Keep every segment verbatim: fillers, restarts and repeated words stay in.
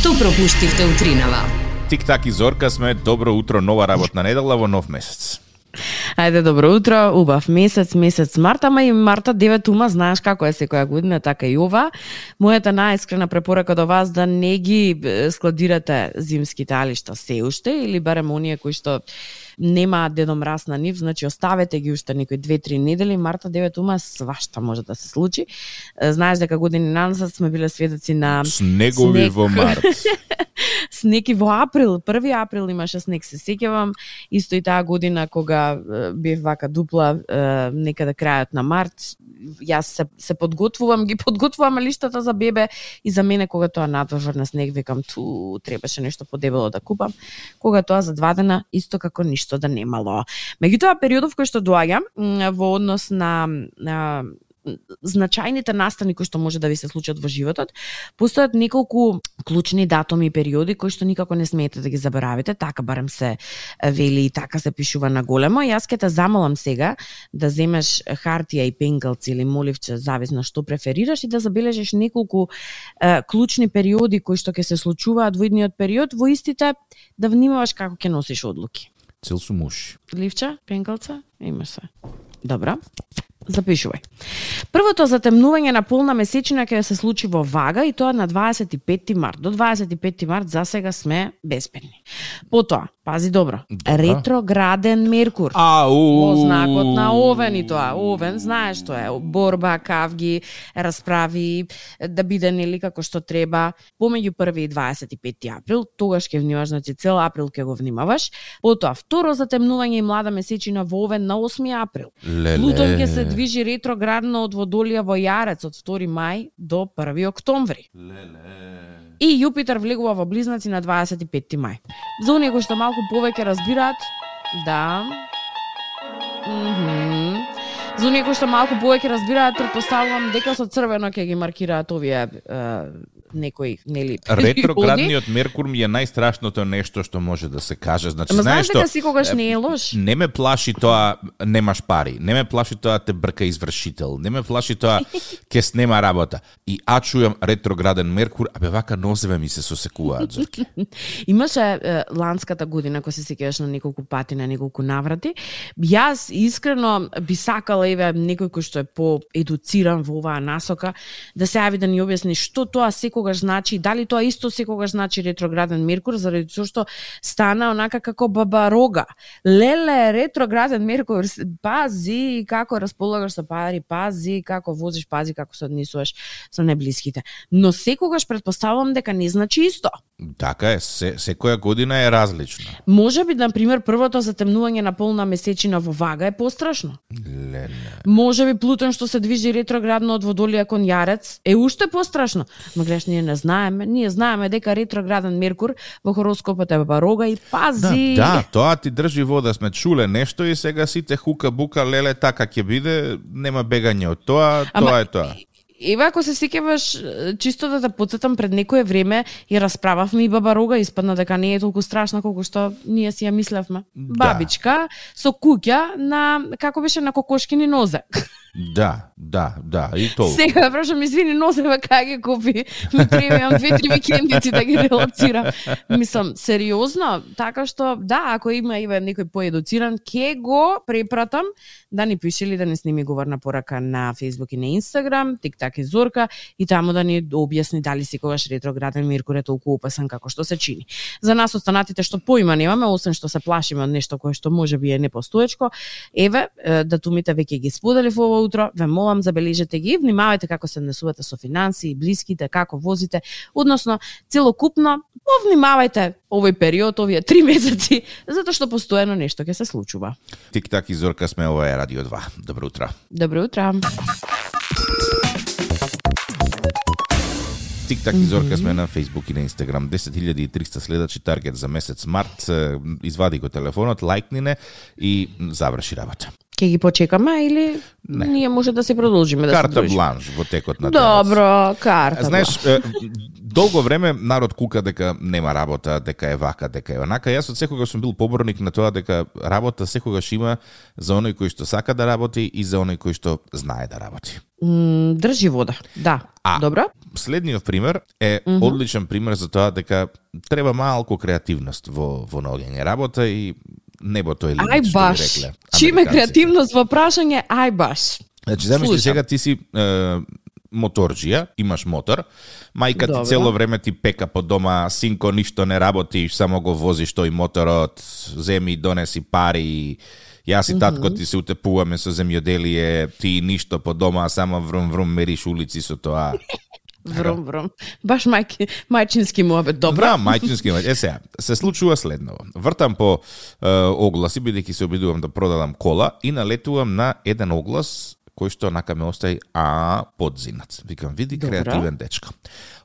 Што пропуштивте утринава? Тик-так и Зорка сме, добро утро, нова работна недела во нов месец. Ајде, добро утро, убав месец, месец март, ама и марта девет ума, знаеш како е секоја година, така и ова. Мојата најискрена препорака до вас да не ги складирате зимските алишта се уште, или барем оние кои што нема Дедо Мраз на нив, значи оставете ги уште некои две-три недели, марта девет ума свашта може да се случи. Знаеш дека години назад сме биле сведоци на снегови снег во март. Снег и во април, први април имаше снег, се сеќавам, исто и таа година кога бев вака дупла некаде крајот на март. Јас се, се подготвувам, ги подготвувам лиштата за бебе и за мене кога тоа надврна снег, викам ту требаше нешто подебело да купам. Кога тоа за два дена исто како ништо да немало. Меѓутоа периодов кој што доаѓа во однос на, на значајните настани кои што може да ви се случат во животот, постојат неколку клучни датуми и периоди кои што никако не смеете да ги заборавите, така барем се вели и така се пишува на големо. Јас ќе те замолам сега да земеш хартија и пенкалци или моливче, зависно што преферираш, и да забележиш неколку е, клучни периоди кои што ќе се случуваат во идниот период, во истите да внимаваш како ќе носиш одлуки. Цел су муш. Ливче, пенкалца, имаш се. Добро. Запишувај. Првото затемнување на полна месечина ќе се случи во Вага и тоа на дваесет и петти март. До дваесет и петти март за сега сме безбедни. Потоа, пази добро, добро. Ретрограден Меркур. Ау! Во знакот на Овен и тоа. Овен, знаеш што е, борба, кавги, расправи, да биде нели како што треба. Помеѓу први и дваесет и петти април, тогаш ќе внимаваш, значи цел април ќе го внимаваш. Потоа, второ затемнување и млада месечина во Овен на осми април. Леле. Плутон ќе се движи ретроградно од Водолија во Јарец од втори мај до први октомври. Леле. И Јупитер влегува во Близнаци на дваесет и петти мај. За оние кои што малку повеќе разбираат, да. Мхм. За оние кои што малку повеќе разбираат, претпоставувам дека со црвено ќе ги маркираат овие е, некои нели ретроградниот Меркур ми е најстрашното нешто што може да се каже. Значи, ама знаеш знаеш дека што, секогаш не е лош. Не ме плаши тоа немаш пари, не ме плаши тоа те брка извршител, не ме плаши тоа ќе снема работа. И а чујам ретрограден Меркур, абе вака нозеве ми се сосекуваат, Зорке. Имаше е, ланската година, кога се сеќаваш на неколку пати, на неколку наврати. Јас искрено би сакала еве некој кој што е по-едуциран во оваа насока да се јави да ни објасни што тоа секогаш значи, дали тоа исто секогаш значи ретрограден Меркур, заради тоа што стана онака како баба рога. Леле, ретрограден Меркур, пази како располагаш со пари, пази како возиш, пази како се однесуваш со неблиските. Но секогаш претпоставувам дека не значи исто. Така е, се, секоја година е различна. Може би, на пример, првото затемнување на полна месечина во Вага е пострашно. Леле. Може би Плутон што се движи ретроградно од Водолија кон Јарец е уште пострашно. Ма гледаш, ние не знаеме, ние знаеме дека ретрограден Меркур во хороскопот е баба рога и пази. Да, да, тоа ти држи вода, сме чуле нешто и сега сите хука бука леле така ќе биде, нема бегање од тоа, Ама, тоа е тоа. Еве, ако се сеќаваш, чисто да те потсетам, пред некое време ја расправавме и баба рога, испадна дека не е толку страшна колку што ние си ја мислевме. Да. Бабичка со куќа на, како беше, на кокошкини нозе. Да, да, да, и толку. Сега прашам, извини, нозеве кај ги купи. Ми требам две-три викендици да ги релаксирам. Мислам, сериозно, така што да, ако има еве некој поедуциран, ќе го препратам да ни пише или да ни сними говорна порака на Facebook и на Instagram, Тик-так и Зорка, и таму да ни објасни дали секогаш ретрограден Меркур е толку опасен како што се чини. За нас останатите што поима немаме, освен што се плашиме од нешто кое што може би е непостоечко, еве, датумите веќе ги сподели во ова утро, ве молам, забележете ги, внимавајте како се однесувате со финансии, блиските, како возите, односно целокупно повнимавајте овој период, овие три месеци, затоа што постојано нешто ќе се случува. Тик-так и Зорка сме, ова е Радио два. Добро утро. Добро утро. Тик-так и Зорка сме на Facebook и на Instagram. десет илјади и триста следачи, таргет за месец март. Извади го телефонот, лајкни не и заврши работа. Ке ги почекаме или Не. ние може да се продолжиме да се Карта дружиме? бланш во текот на денот. Добро, карта. Знаеш, е, долго време народ кука дека нема работа, дека е вака, дека е онака. Јас од секогаш сум бил поборник на тоа дека работа секогаш има за оној кој што сака да работи и за оној кој што знае да работи. М, држи вода. Да. А, Добро. Следниот пример е Мгм. одличен пример за тоа дека треба малку креативност во во наоѓање работа и небото е лимит, Ај што би баш. рекле Чиме американците. креативност во прашање, ај баш. Значи, замисли Слушам. сега ти си е, моторџија, имаш мотор, мајка Добро. ти цело време ти пека по дома, синко ништо не работиш, само го возиш тој моторот, земи донеси пари, јас и татко ти се утепуваме со земјоделие, ти ништо по дома, само врум врум мериш улици со тоа. Врум, врум. Баш мајки, мајчински муабет, добро. Да, мајчински мајч. Е сега, се случува следново. Вртам по е, огласи, бидејќи се обидувам да продадам кола и налетувам на еден оглас кој што онака ме остави а подзинат. Викам, види, Добро. креативен дечко.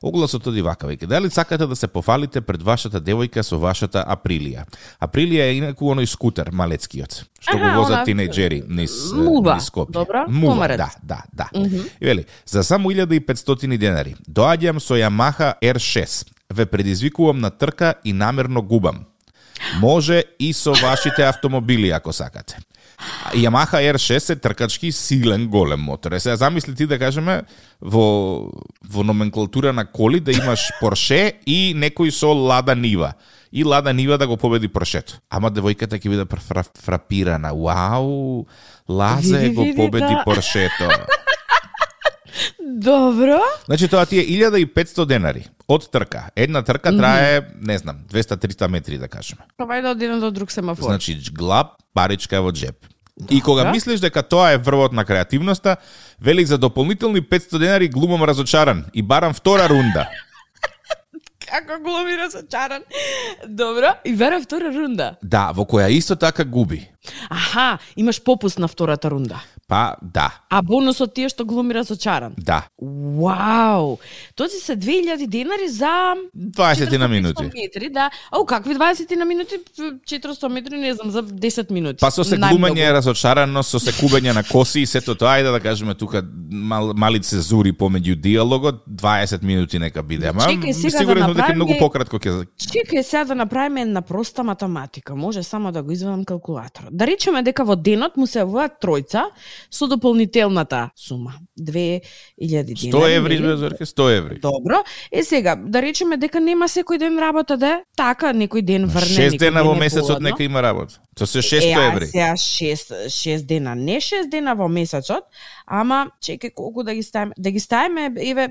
Огласот оди вака, вика, дали сакате да се пофалите пред вашата девојка со вашата Априлија? Априлија е инаку оној скутер, малецкиот, што Аха, го возат она- тинејџери низ, Мува. низ Скопје. Добро, Мува, комарец. да, да, да. И вели, за само илјада и петстотини денари, доаѓам со Yamaha ер шест, ве предизвикувам на трка и намерно губам. Може и со вашите автомобили, ако сакате. Yamaha ер шест е тркачки силен голем мотор. Е, сега замисли ти да кажеме во, во номенклатура на коли да имаш Порше и некој со Лада Нива. И Лада Нива да го победи Поршето. Ама девојката ќе биде фра, фрапирана. Вау, Лазе Види, го види, победи да. Поршето. Добро. Значи тоа ти е илјада и петстотини денари од трка. Една трка трае, не знам, двеста до триста метри да кажеме. Пробај да од еден до друг семафор. Значи, глаб, паричка во джеб. И кога Добро. мислиш дека тоа е врвот на креативноста, вели за дополнителни петстотини денари глумам разочаран и барам втора рунда. Како глуми разочаран. Добро. И вера втора рунда. Да, во која исто така губи. Аха, имаш попуст на втората рунда. Па, да, А бонусот ти е што глуми разочаран. да. Вау! Тоци се две илјади денари за дваесет на минути. четиристотини метри, да. Ау, какви дваесет на минути? четиристотини метри, не знам, за десет минути. Па со се Најмногу. глумење разочарано, со се кубење на коси и сето тоа, ајде да кажеме тука мал, мали цезури помеѓу диалогот, дваесет минути нека биде. Ама Чекај сега сигурен да сум дека направиме- многу пократко ќе. Чекај сега да направиме една проста математика. Може само да го извадам калкулатор. Да речеме дека во денот му се јавуваат тројца со дополнителната сума. две илјади денари. сто еври, нели? бе, Зорке, сто еври. Добро. Е сега, да речеме дека нема секој ден работа да е. Така, некој ден врне, шест некој дена ден во е месецот поладно. нека има работа. Со се шесто Е, а еври. сега шест, шест дена, не шест дена во месецот, ама чекај колку да ги ставиме. Да ги ставиме, еве,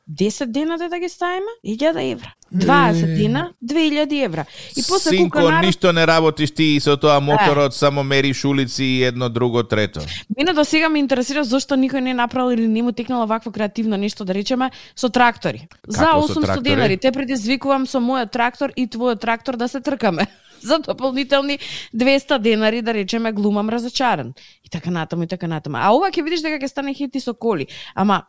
десет дена да ги ставиме, илјада евра. дваесет дена, две илјади евра. И после Синко, кука народ... ништо не работиш ти и со тоа моторот, само мериш улици и едно, друго, трето. Мене до сега ме интересира зошто никој не направил или не му текнало вакво креативно нешто, да речеме, со трактори. За Како со осумсто трактори? денари те предизвикувам со мојот трактор и твојот трактор да се тркаме. За дополнителни двеста денари, да речеме, глумам разочаран. И така натаму, и така натаму. А ова ќе видиш дека ќе стане хит и со коли. Ама,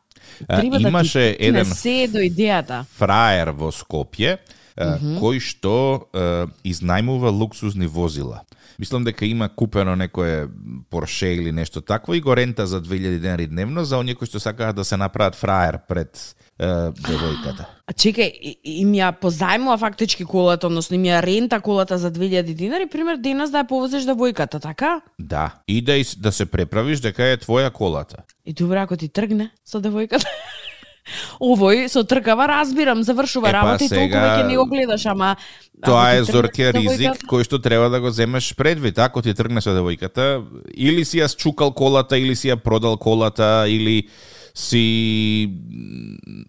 А, треба да имаше ти еден не се до идејата. Фраер во Скопје, mm -hmm. кој што е, изнајмува луксузни возила. Мислам дека има купено некое Порше или нешто такво и го рента за две илјади денари дневно за оние кои што сакаат да се направат фраер пред е, девојката. А чекај, и- им ја позајмува фактички колата, односно им ја рента колата за две илјади динари, пример денес да ја повозиш девојката, така? Да, и да, из- да се преправиш дека е твоја колата. И добре, ако ти тргне со девојката. Овој со тркава разбирам, завршува Епа, работа и толку сега- веќе не го гледаш, ама Тоа ако е, ти тргне Зорке, со ризик девојката- кој што треба да го земеш предвид. Ако ти тргне со девојката, или си ја счукал колата, или си ја продал колата, или си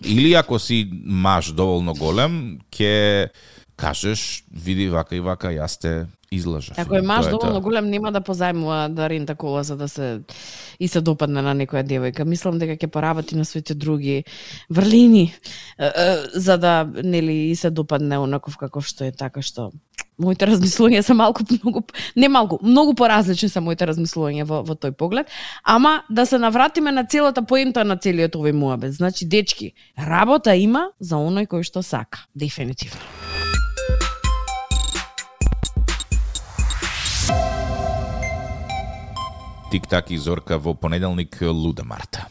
или ако си маж доволно голем, ќе кажеш, види вака и вака, јас те излажав. Ако е маж Тоа доволно тоа. голем, нема да позајмува да рента кола за да се и се допадне на некоја девојка. Мислам дека ќе поработи на своите други врлини е, е, за да нели и се допадне онаков каков што е, така што моите размислувања се малку многу не малку, многу поразлични се моите размислувања во во тој поглед, ама да се навратиме на целата поента на целиот овој муабет. Значи дечки, работа има за оној кој што сака, дефинитивно. Тик-так и Зорка во понеделник Луда Марта.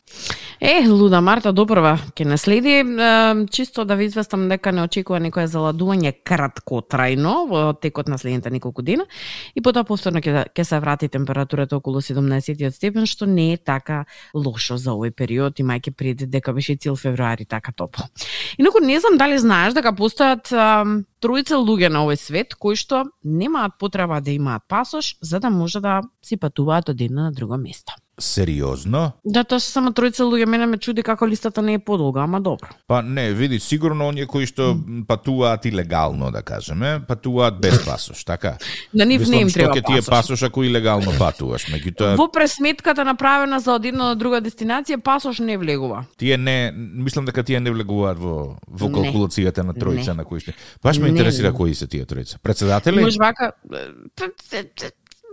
Е, Луда Марта допрва ќе наследи, е, чисто да ви известам дека не очекува некое заладување краткотрајно во текот на следните неколку дена и потоа повторно ќе ќе се врати температурата околу седумнаесет степен, што не е така лошо за овој период, имајќи пред дека беше цел февруари така топло. Инаку не знам дали знаеш дека постојат е, тројца луѓе на овој свет кои што немаат потреба да имаат пасош за да може да си патуваат од едно на друго место. Сериозно? Да, тоа се само тројца луѓе, мене ме чуди како листата не е подолга, ама добро. Па не, види, сигурно оние кои што патуваат илегално, да кажеме, патуваат без пасош, така? На нив не им треба пасош. Мислам, што ќе ти е пасош ако илегално патуваш, меѓутоа во пресметката направена за од една до друга дестинација пасош не влегува. Тие не, мислам дека тие не влегуваат во во калкулацијата на тројца на кои што. Баш ме Не, интересира не. кои се тие тројца. Председатели? Може вака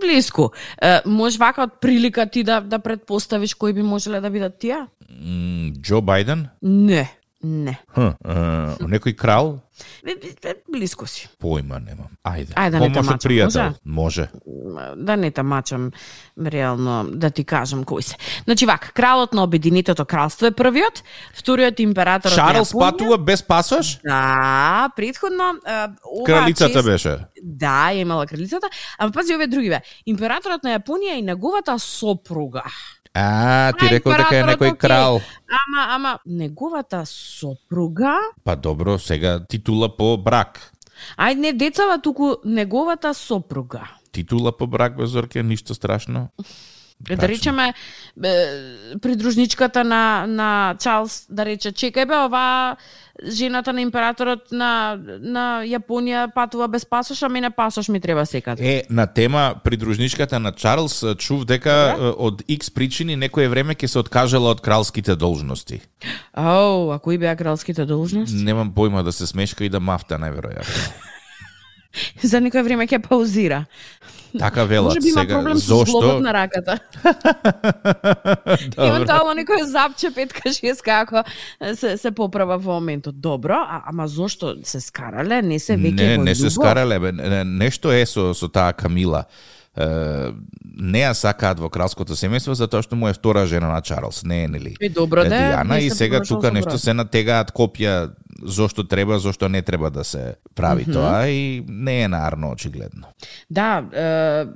блиску. Е, може вака од прилика ти да да предпоставиш кои би можеле да бидат тие? М, Џо Бајден? Не, не. Хм, е, некој крал? Бе, бе, бе, блиску си. Појма немам. Ајде. Ајде, да не те Помош од мачам, пријател. Може. Да не те мачам реално да ти кажам кои се. Значи вака, кралот на Обединетото кралство е првиот, вториот императорот на Чарлс Јапонија. патува без пасош? Да, претходно е, ова Кралицата чест... беше. Да, ја имала кралицата, ама пази овие други бе. Императорот на Јапонија и неговата сопруга. А, ти А, рекол дека е императорот, некој окей. крал. Ама, ама, неговата сопруга... Па добро, сега титула по брак. Ајде, не децава, туку неговата сопруга. Титула по брак, бе, Зорке, ништо страшно. Да Брачно. речеме, е, придружничката на, на Чарлс, да рече, чекај бе, ова жената на императорот на, на Јапонија патува без пасош, а мене пасош ми треба секаде. Е, на тема придружничката на Чарлс, чув дека Добре. е, од X причини некое време ќе се откажала од кралските должности. Ау, а кои беа кралските должности? Немам појма, да се смешка и да мафта, најверојатно. За некој време ќе паузира. Така велат. Може би има сега, проблем со зошто? зглобот на раката. Евентуално некој запче петка шеска ако се, се поправа во моментот. Добро, а, ама зошто се скарале? Не се веќе Не, во не се љубов? скарале, бе. Не- Нешто е со, со таа Камила. Е, не ја сакаат во кралското семејство затоа што му е втора жена на Чарлс, не е нели? И добро да е, Диана, не и се сега понашал тука со нешто брат. се натегаат копија зошто треба, зошто не треба да се прави Мгм. тоа и не е нарно очигледно. Да, е,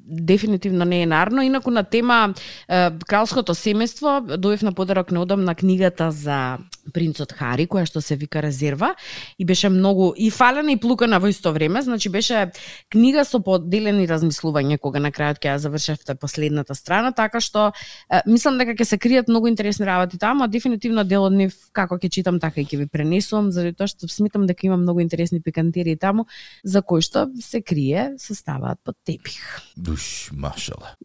дефинитивно не е нарно. Инаку на тема е, кралското семејство, дојдов на подарок неодамна книгата за принцот Хари, која што се вика Резерва, и беше многу и фалена и плукана во исто време, значи беше книга со поделени размислување кога на крајот ќе ја завршевте последната страна, така што е, мислам дека ќе се кријат многу интересни работи таму, а дефинитивно дел од нив како ќе читам така и ќе ви пренесувам, заради тоа што сметам дека има многу интересни пикантерии таму за кои што се крие, се ставаат под тепих. Душ, машала.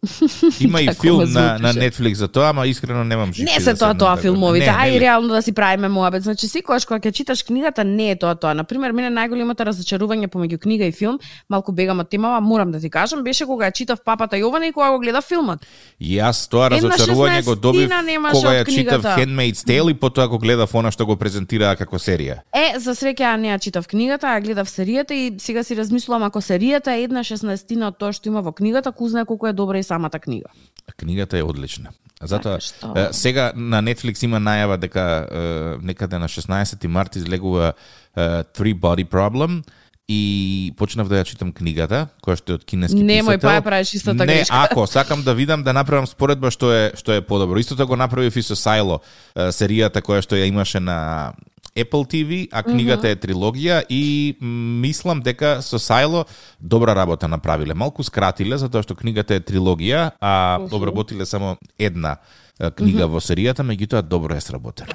Има и Како филм ме на, на звучеше. Netflix за тоа, ама искрено немам живи. Не се тоа тоа филмовите, Не, ај нели? реално да си правиме муабет. Значи секогаш кога ќе читаш книгата не е тоа тоа. На пример, мене најголемото разочарување помеѓу книга и филм, малку бегам од темава, морам да ти кажам, беше кога ја читав Папата Јована и кога го гледав филмот. И јас тоа Една разочарување го добив шеснаестина немаше кога од ја читав книгата. Handmaid's Tale и потоа го гледав она што го презентираа како серија. Е, за среќа ја не ја читав книгата, ја гледав серијата и сега си размислувам ако серијата е една шеснаестина од тоа што има во книгата, ку знае колку е добра и самата книга. Книгата е одлична. Затоа Така што- е, сега на Netflix има најава дека е, некаде на шеснаесети март излегува е, Three Body Problem и почнав да ја читам книгата, која што е од кинески Немој, писател. па ја правиш истата Не, грешка. ако сакам да видам да направам споредба што е што е подобро. Истото го направив и со Сайло, е, серијата која што ја имаше на Apple T V, а книгата mm -hmm. е трилогија и м, мислам дека со Сайло добра работа направиле. Малку скратиле затоа што книгата е трилогија, а Мгм. обработиле само една е, книга Мгм. во серијата, меѓутоа добро е сработено.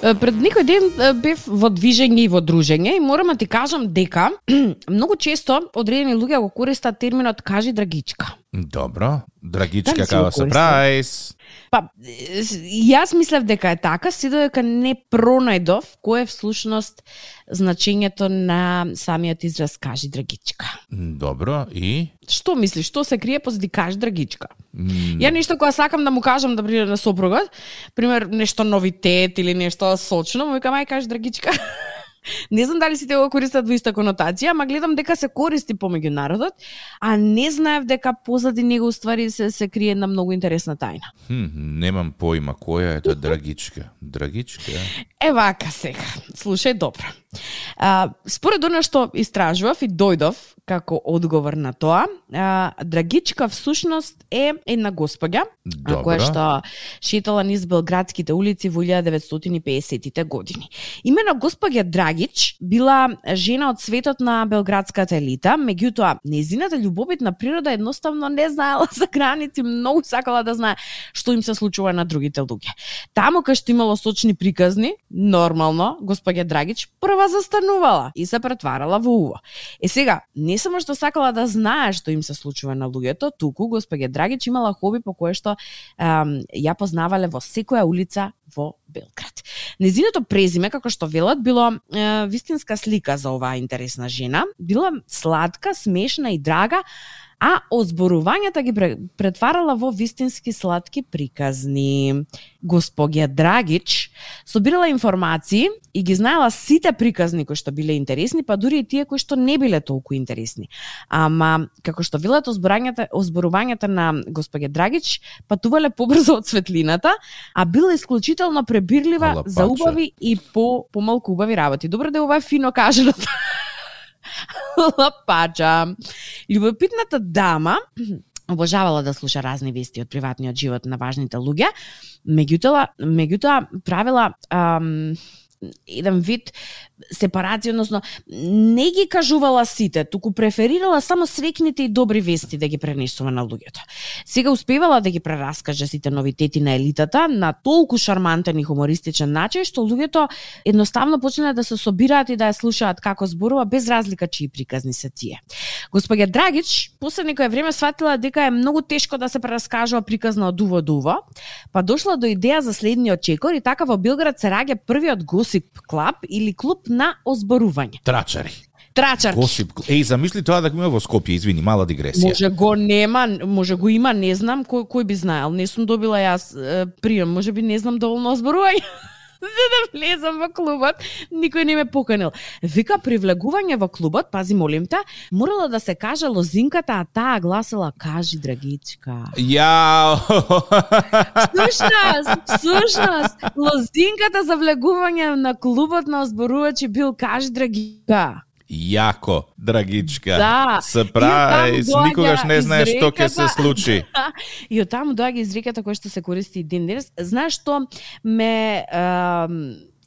Е, Пред некој ден е, бев во движење и во дружење и морам да ти кажам дека многу често одредени луѓе го користат терминот кажи драгичка. Добро. Драгичка Дали си као го користил? сюрприз. Па, е, јас мислев дека е така, си додека не пронајдов кој е всушност значењето на самиот израз кажи драгичка. Добро. И? Што мислиш, што се крие позади кажи драгичка? М, Ја нешто кога сакам да му кажам да приде на сопругот, пример нешто новитет или нешто сочно, му викам ај кажи драгичка. Не знам дали сите го користат во иста конотација, ама гледам дека се користи помеѓу народот, а не знаев дека позади него уствари се, се крие една многу интересна тајна. Хм, немам поима која е тоа драгичка. Драгичка? Е вака сега. Слушај добро. А, според она што истражував и дојдов како одговор на тоа, а, Драгичка всушност е една госпоѓа Добро. која што шетала низ белградските улици во илјада деветстотини и педесетите години. Имено госпоѓа Драгич била жена од светот на белградската елита, меѓутоа нејзината љубовитна природа едноставно не знаела за граници, многу сакала да знае што им се случува на другите луѓе. Таму кај што имало сочни приказни, нормално госпоѓа Драгич прва застанувала и се претварала во уво. Е сега, не само што сакала да знае што им се случува на луѓето, туку госпоѓа Драгич имала хоби по кое што ем, ја познавале во секоја улица во Белград. Незиното презиме, како што велат, било е, вистинска слика за оваа интересна жена. Била сладка, смешна и драга, а озборувањата ги претварала во вистински сладки приказни. Госпоѓа Драгич собирала информации и ги знаела сите приказни кои што биле интересни, па дури и тие кои што не биле толку интересни. Ама, како што велат, озборувањата, озборувањата на госпоѓа Драгич патувале побрзо од светлината, а била исклучително пребирлива Лапаче. за убави и по помалку убави работи. Добро да ова е фино кажано. Лапача. Љубопитната дама обожавала да слуша разни вести од приватниот живот на важните луѓе, меѓутоа, меѓутоа правила ам, еден вид сепарација, односно не ги кажувала сите, туку преферирала само среќните и добри вести да ги пренесува на луѓето. Сега успевала да ги прераскаже сите новитети на елитата на толку шармантен и хумористичен начин што луѓето едноставно почнале да се собираат и да ја слушаат како зборува без разлика чии приказни се тие. Госпоѓа Драгич после некое време сватила дека е многу тешко да се прераскажува приказна од уво до уво, па дошла до идеја за следниот чекор и така во Белград се раѓа првиот Госип клуб или клуб на озборување. Трачари. Трачарки. Госип. Еј, замисли тоа да го има во Скопје, извини, мала дигресија. Може го нема, може го има, не знам кој кој би знаел. Не сум добила јас е, прием, може би не знам доволно озборување. За да влезам во клубот, никој не ме поканил. Вика, привлегување во клубот, пази молим те, морала да се каже лозинката, а таа гласила кажи Драгичка. Јао! Слушнас, слушнас, лозинката за влегување на клубот на озборувачи бил кажи Драгичка. Јако, Драгичка. Да. Сюрприз, никогаш не знаеш што ќе се случи. И од таму доаѓа изреката која што се користи и ден денес. Знаеш што ме е,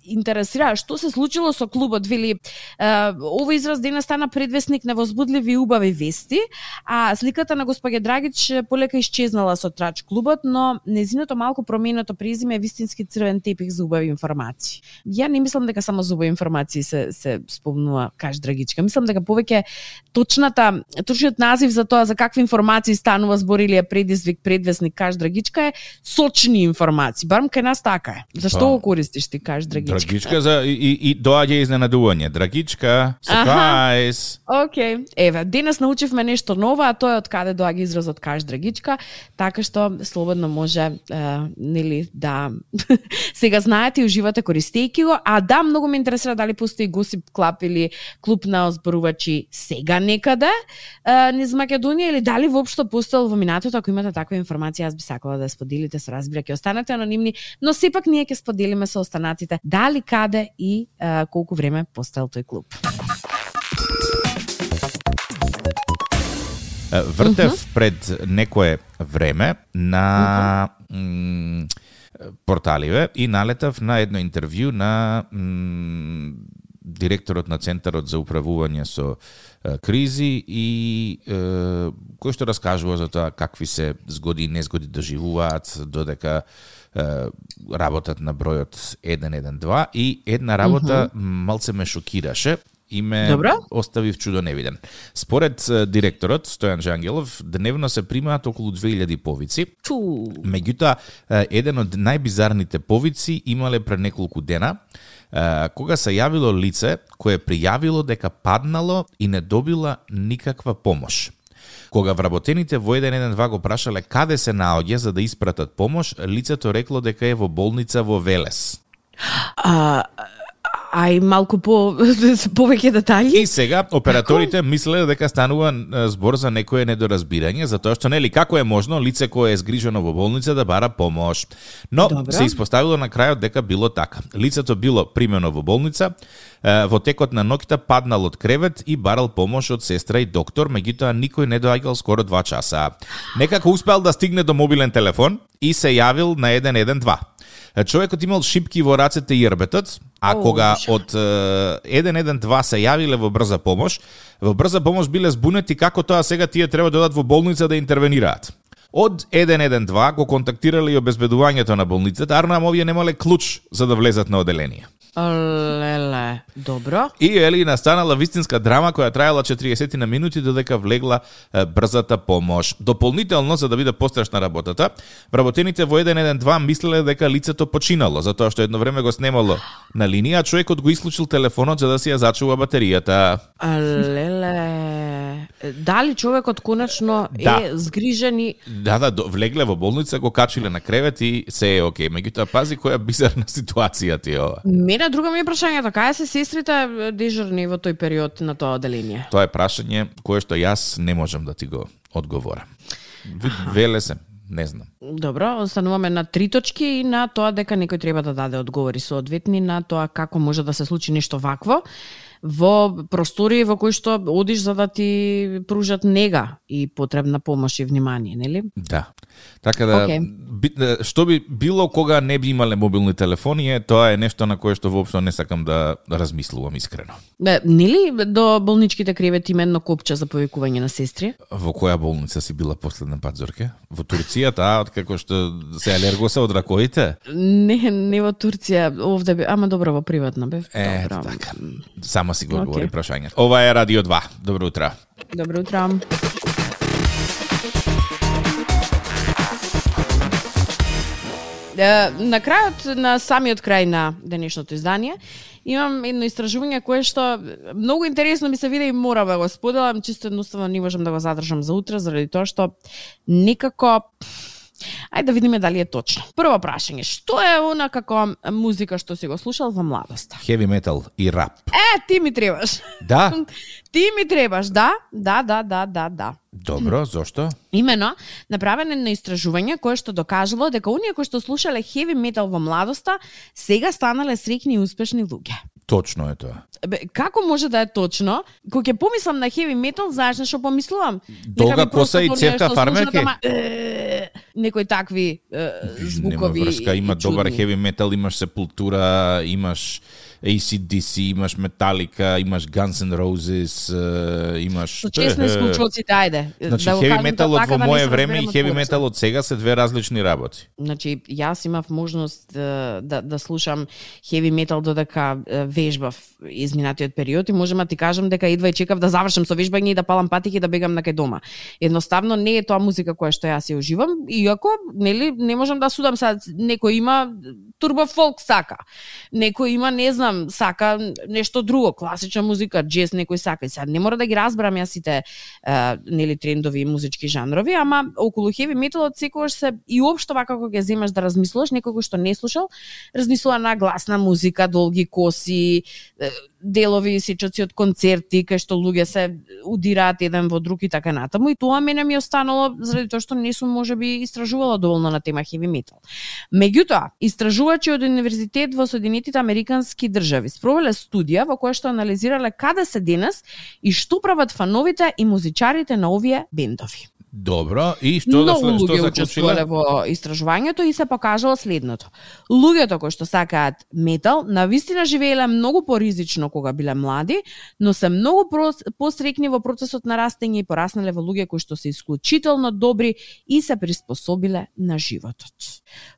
интересира, што се случило со клубот, вели, овој израз денес стана предвесник на возбудливи и убави вести, а сликата на госпоѓа Драгич полека исчезнала со трач клубот, но незиното малку променето презиме е вистински црвен тепих за убави информации. Ја не мислам дека само за убави информации се се спомнува каш Драгичка. Мислам дека повеќе точната точниот назив за тоа за какви информации станува збор или е предизвик предвесник каш Драгичка е сочни информации. Барем кај нас така е. Зашто Па. го користиш ти каш Драгичка? Драгичка за и, и, и доаѓа изненадување. Драгичка, сюрприз. Океј. Okay. Еве, денес научивме нешто ново, а тоа е од каде доаѓа изразот каш Драгичка, така што слободно може е, нели да сега знаете и уживате користејќи го, а да, многу ме интересира дали постои Госип клуб или клуб на озборувачи сега некаде е, низ Македонија или дали воопшто постоел во минатото. Ако имате таква информација, јас би сакала да ја споделите со разбира, ќе останете анонимни, но сепак ние ќе споделиме со останатите дали каде и е, колку време постоел тој клуб. Вртев uh-huh. пред некое време на uh-huh. порталиве и налетав на едно интервју на м, директорот на Центарот за управување со е, кризи и е, кој што раскажува за тоа какви се згоди и незгоди доживуваат додека е, работат на бројот еден еден два и една работа uh-huh. малце ме шокираше и ме Добра. остави в чудо невиден. Според директорот Стојан Жангелов, дневно се примаат околу две илјади повици. Чу. Меѓутоа, еден од најбизарните повици имале пред неколку дена, кога се јавило лице кое пријавило дека паднало и не добила никаква помош. Кога вработените во еден еден два го прашале каде се наоѓа за да испратат помош, лицето рекло дека е во болница во Велес. А... Ај малку по повеќе детали. И сега операторите мислеле дека станува збор за некое недоразбирање, затоа што нели како е можно лице кое е згрижено во болница да бара помош. Но Добро. Се испоставило на крајот дека било така. Лицето било примено во болница, во текот на ноќта паднал од кревет и барал помош од сестра и доктор, меѓутоа никој не доаѓал скоро два часа. Некако успел да стигне до мобилен телефон и се јавил на еден еден два. Човекот имал шипки во рацете и јрбетот, а oh, кога од еден еден два се јавиле во брза помош, во брза помош биле збунети како тоа сега тие треба да одат во болница да интервенираат. Од еден еден два го контактирале и обезбедувањето на болницата, арно овие немале клуч за да влезат на оделение. Леле, добро. И ели настанала вистинска драма која траела четириесет на минути додека влегла е, брзата помош. Дополнително, за да биде пострашна работата, вработените во еден еден два мислеле дека лицето починало, затоа што едно време го снемало на линија, а човекот го исклучил телефонот за да си ја зачува батеријата. Леле, дали човекот конечно да. е згрижен и... Да, да, влегле во болница, го качиле на кревет и се е окей. Меѓутоа, пази која бизарна ситуација ти е ова. Мене друга ми е прашањето, кај се сестрите дежурни во тој период на тоа оделение? Тоа е прашање кое што јас не можам да ти го одговорам. Веле се, не знам. Добро, остануваме на три точки и на тоа дека некој треба да даде одговори соодветни на тоа како може да се случи нешто вакво во простори во кои што одиш за да ти пружат нега и потребна помош и внимание, нели? Да. Така да, okay. би, што би било кога не би имале мобилни телефони, е, тоа е нешто на кое што воопшто не сакам да размислувам искрено. Да, нели до болничките кревети има едно копче за повикување на сестри? Во која болница си била последен пат, Зорке? Во Турција, таа, откако што се алергоса од ракоите? Не, не во Турција, овде бе, ама добро во приватна бе. Е, така. Само си го одговори okay. прашањето. Ова е Радио два. Добро утро. Добро утро. На крајот, на самиот крај на денешното издание, имам едно истражување кое што многу интересно ми се виде и мора да го споделам, чисто едноставно не можам да го задржам за утре, заради тоа што некако... Ајде да видиме дали е точно. Прво прашање, што е она како музика што си го слушал во младоста? Heavy metal и рап. Е, ти ми требаш. Да? Ти ми требаш, да? Да, да, да, да, да. Добро, зошто? Имено, направено на истражување кое што докажало дека оние кои што слушале heavy metal во младоста сега станале среќни и успешни луѓе. Точно е тоа. Бе, како може да е точно? Кога ќе помислам на heavy metal, знаеш на што помислувам? Долга коса и цевка фармерки? Некои такви е, звукови. Нема врска, има добар heavy metal, имаш Сепултура, имаш A C D C, имаш Metallica, имаш Guns N' Roses, имаш... Со честни слушалците, ајде. Значи, да heavy metal од во мое време и heavy metal од сега се две различни работи. Значи, јас имав можност да, да слушам heavy metal додека вежбав изминатиот период и можам да ти кажам дека едва и чекав да завршам со вежбање и да палам патики и да бегам на кај дома. Едноставно не е тоа музика која што јас ја уживам, иако нели не можам да судам сад, некој има турбо фолк сака. Некој има, не знам, сака нешто друго, класична музика, джез некој сака. И сега не мора да ги разберам јас сите е, нели трендови музички жанрови, ама околу heavy metalот секогаш се и општо вака кога ќе земаш да размислуваш, некој што не слушал, размислува на гласна музика, долги коси, делови сечоци од концерти кај што луѓе се удираат еден во друг и така натаму, и тоа мене ми останало заради тоа што не сум можеби истражувала доволно на тема heavy metal. Меѓутоа, истражувачи од универзитет во Соединетите Американски држави спровеле студија во која што анализирале каде се денес и што прават фановите и музичарите на овие бендови. Добро, и што да што луѓе учествувале во истражувањето и се покажало следното. Луѓето кои што сакаат метал, навистина живееле многу поризично кога биле млади, но се многу посрекни во процесот на растење и пораснале во луѓе кои што се исклучително добри и се приспособиле на животот.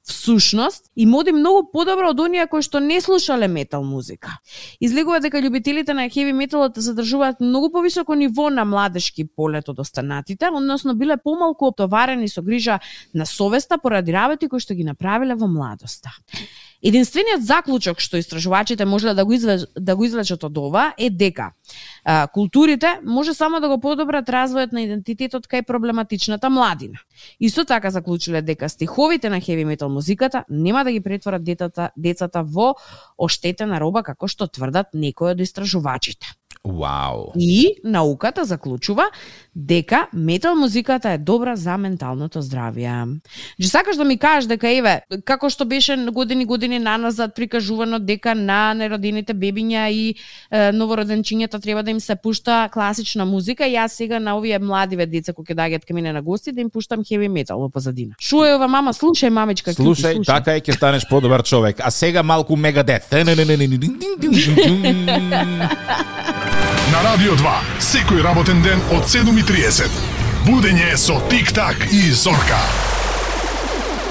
Всушност, им оди многу подобро од оние кои што не слушале метал музика. Излегува дека љубителите на heavy металот задржуваат многу повисоко ниво на младешки полет од останатите, односно биле помалку оптоварени со грижа на совеста поради работи кои што ги направиле во младоста. Единствениот заклучок што истражувачите можеле да го извлечат, да го извлечат од ова е дека а, културите може само да го подобрат развојот на идентитетот кај проблематичната младина. Исто така заклучиле дека стиховите на хеви метал музиката нема да ги претворат децата, децата во оштетена роба, како што тврдат некои од истражувачите. Вау. И науката заклучува дека метал музиката е добра за менталното здравје. Че сакаш да ми кажеш дека еве, како што беше години години наназад прикажувано дека на неродените бебиња и е, новороденчињата треба да им се пушта класична музика, и јас сега на овие младиве деца кои ќе доаѓаат кај мене на гости да им пуштам хеви метал во позадина. Шо е ова, мама, слушај мамичка, слушај, слушај, така е, ќе станеш подобар човек. А сега малку Мегадет. На Радио два, секој работен ден од седум и триесет. Будење со Тик-так и Зорка.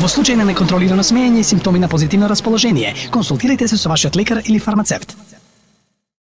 Во случај на неконтролирано смеење и симптоми на позитивно расположение, консултирайте се со вашиот лекар или фармацевт.